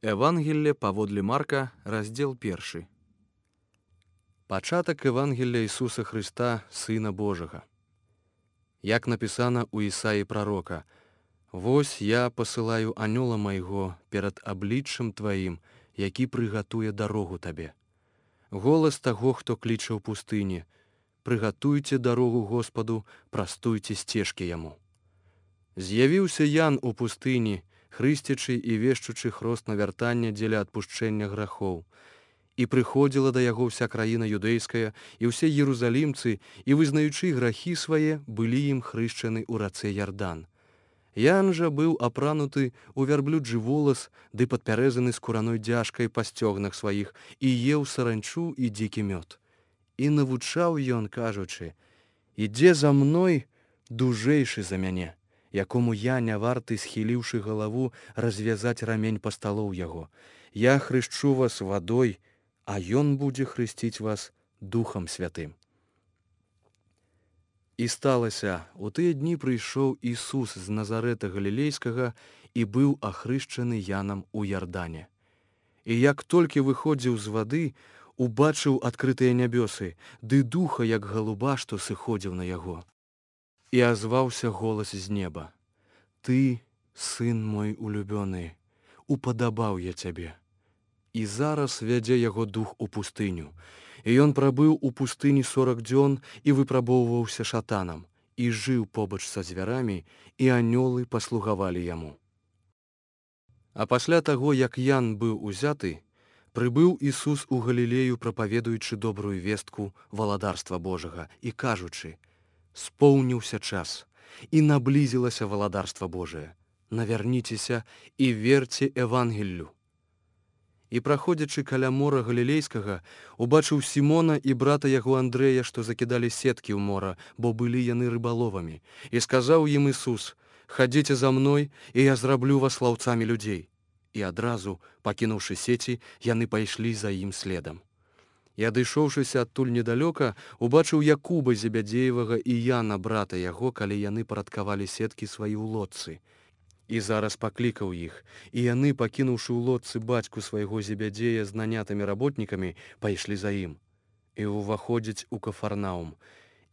Евангелле паводле Марка, раздзел 1. Пачатак Евангелля Ісуса Христа, Сына Божага. Як напісана ў Ісаі прарока: «Вось я пасылаю анёла майго перад абліччам тваім, які прыгатуе дарогу табе. Голас таго, хто кліча ў пустыні: прыгатуйце дарогу Господу, прастуйце сцежкі яму». З'явіўся Ян у пустыні, хрысцячы і вешчучы хрост навяртання дзеля адпушчэння грахоў. І прыходзіла да яго ўся краіна юдэйская, і ўсе ерузалімцы, і, вызнаючы грахі свае, былі ім хрышчаны ў рацэ Ярдан. Ян жа быў апрануты ў вярблюджы волас, ды падпярэзаны скураной дзяжкай па сцёгнах сваіх, і еў саранчу і дзікі мёд. І навучаў ён, кажучы: «Ідзе за мной дужэйшы за мяне, якому я не варты, схіліўшы галаву, развязаць рамень пасталоў яго. Я хрышчу вас вадой, а ён будзе хрысціць вас Духам Святым». І сталася, у тыя дні прыйшоў Ісус з Назарэта Галілейскага і быў ахрышчаны Янам у Ярдане. І як толькі выходзіў з вады, убачыў адкрытыя нябёсы, ды духа, як галуба, што сыходзіў на яго. І азваўся голас з неба: «Ты, сын мой улюбёны, упадабаў я цябе». І зараз вядзе яго дух у пустыню. І ён прабыў у пустыні 40 дзён і выпрабоўваўся шатанам, і жыў побач са звярамі, і анёлы паслугавалі яму. А пасля таго, як Ян быў узяты, прыбыў Ісус у Галілею, прапаведуючы добрую вестку валадарства Божага і кажучы: «Споўніўся час, і наблізілася валадарства Божае. Навярніцеся і верце Евангеллю». І, праходзячы каля мора Галілейскага, убачыў Сімона і брата яго Андрэя, што закідалі сеткі ў мора, бо былі яны рыбаловамі. І сказаў ім Ісус: «Хадзіце за мной, і я зраблю вас лаўцамі людзей». І адразу, пакінуўшы сеці, яны пайшлі за ім следам. І, адышоўшыся адтуль недалёка, убачыў Якуба Зебядзеевага і Яна, брата яго, калі яны парадкавалі сеткі свае ў лодцы. І зараз паклікаў іх, і яны, пакінуўшы ў лодцы бацьку свайго Зебядзея з нанятымі работнікамі, пайшлі за ім. І ўваходзяць у Кафарнаум.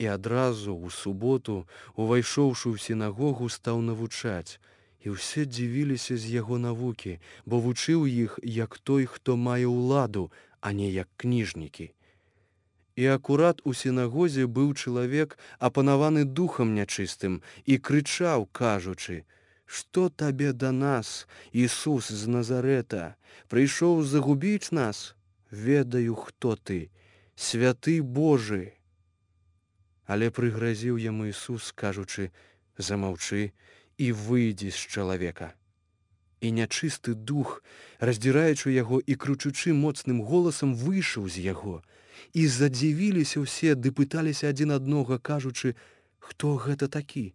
І адразу, у суботу, увайшоўшы ў сінагогу, стаў навучаць. І ўсе дзівіліся з яго навукі, бо вучыў іх, як той, хто мае ўладу, а не як кніжнікі. І акурат у сінагозе быў чалавек, апанаваны духам нячыстым, і крычаў, кажучы: «Што табе да нас, Ісус з Назарэта? Прыйшоў загубіць нас? Ведаю, хто ты, святы Божы». Але прыгразіў яму Ісус, кажучы: «Замаўчы і выйдзі з чалавека». І нячысты дух, раздзіраючы яго і крычучы моцным голасам, выйшаў з яго. І задзівіліся ўсе, ды пыталіся адзін аднога, кажучы: «Хто гэта такі?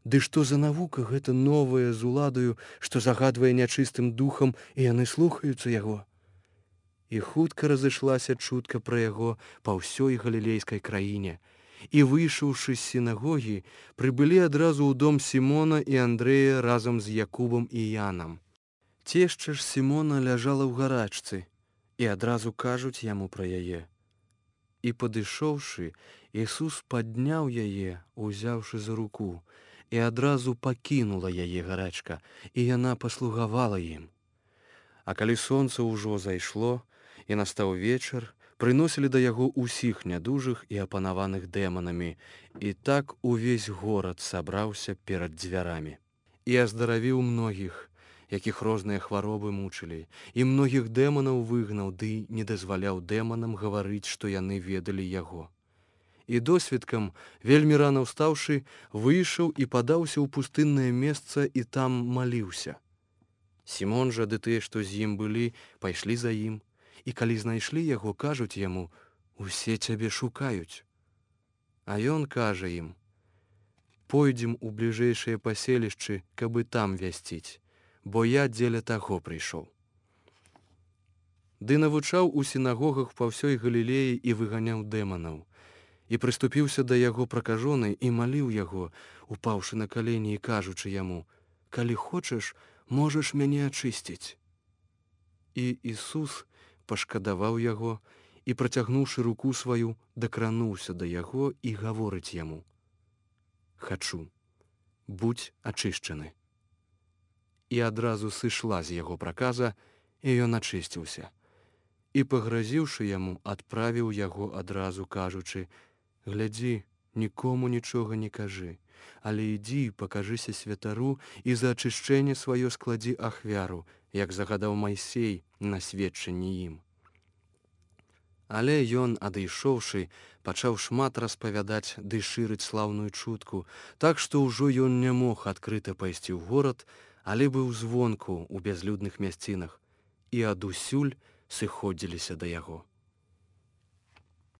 Ды што за навука гэта новая з уладаю, што загадвае нячыстым духам, і яны слухаюцца яго?» І хутка разышлася чутка пра яго па ўсёй галілейскай краіне. І, выйшаўшы з сінагогі, прыбылі адразу ў дом Сімона і Андрэя разам з Якубам і Янам. Цешча ж Сімона ляжала ў гарачцы, і адразу кажуць яму пра яе. І, падышоўшы, Ісус падняў яе, узяўшы за руку, і адразу пакінула яе гарачка, і яна паслугавала ім. А калі сонца ўжо зайшло, і настаў вечар, прыносілі да яго ўсіх нядужых і апанаваных дэманамі, і так увесь горад сабраўся перад дзвярамі. І аздаравіў многіх, якіх розныя хваробы мучылі, і многіх дэманаў выгнаў, ды не дазваляў дэманам гаварыць, што яны ведалі яго. І досвідкам, вельмі рана ўстаўшы, выйшаў і падаўся ў пустыннае месца, і там маліўся. Сімон жа ды тыя, што з ім былі, пайшлі за ім, і калі знайшлі яго, кажуць яму: «Усе цябе шукаюць». А ён кажа ім: «Пойдзем у бліжэйшыя паселішчы, каб і там вясціць, бо я дзеля таго прыйшоў». Ды навучаў у сінагогах па ўсёй Галілеі і выганяў дэманаў. І прыступіўся да яго пракажоны і маліў яго, упаўшы на калені і кажучы яму: «Калі хочаш, можаш мяне ачысціць». І Ісус пашкадаваў яго і, працягнуўшы руку сваю, дакрануўся да яго і гаворыць яму: «Хачу, будзь ачышчаны». І адразу сышла з яго праказа, і ён ачысціўся. І, пагразіўшы яму, адправіў яго адразу, кажучы: «Глядзі, нікому нічога не кажы, але ідзі, пакажыся святару і за ачышчэнне сваё складзі ахвяру, як загадаў Майсей на сведчанні ім». Але ён, адышоўшы, пачаў шмат распавядаць ды шырыць слаўную чутку, так што ўжо ён не мог адкрыта пайсці ў горад, але быў звонку ў бязлюдных мясцінах, і адусюль сыходзіліся да яго.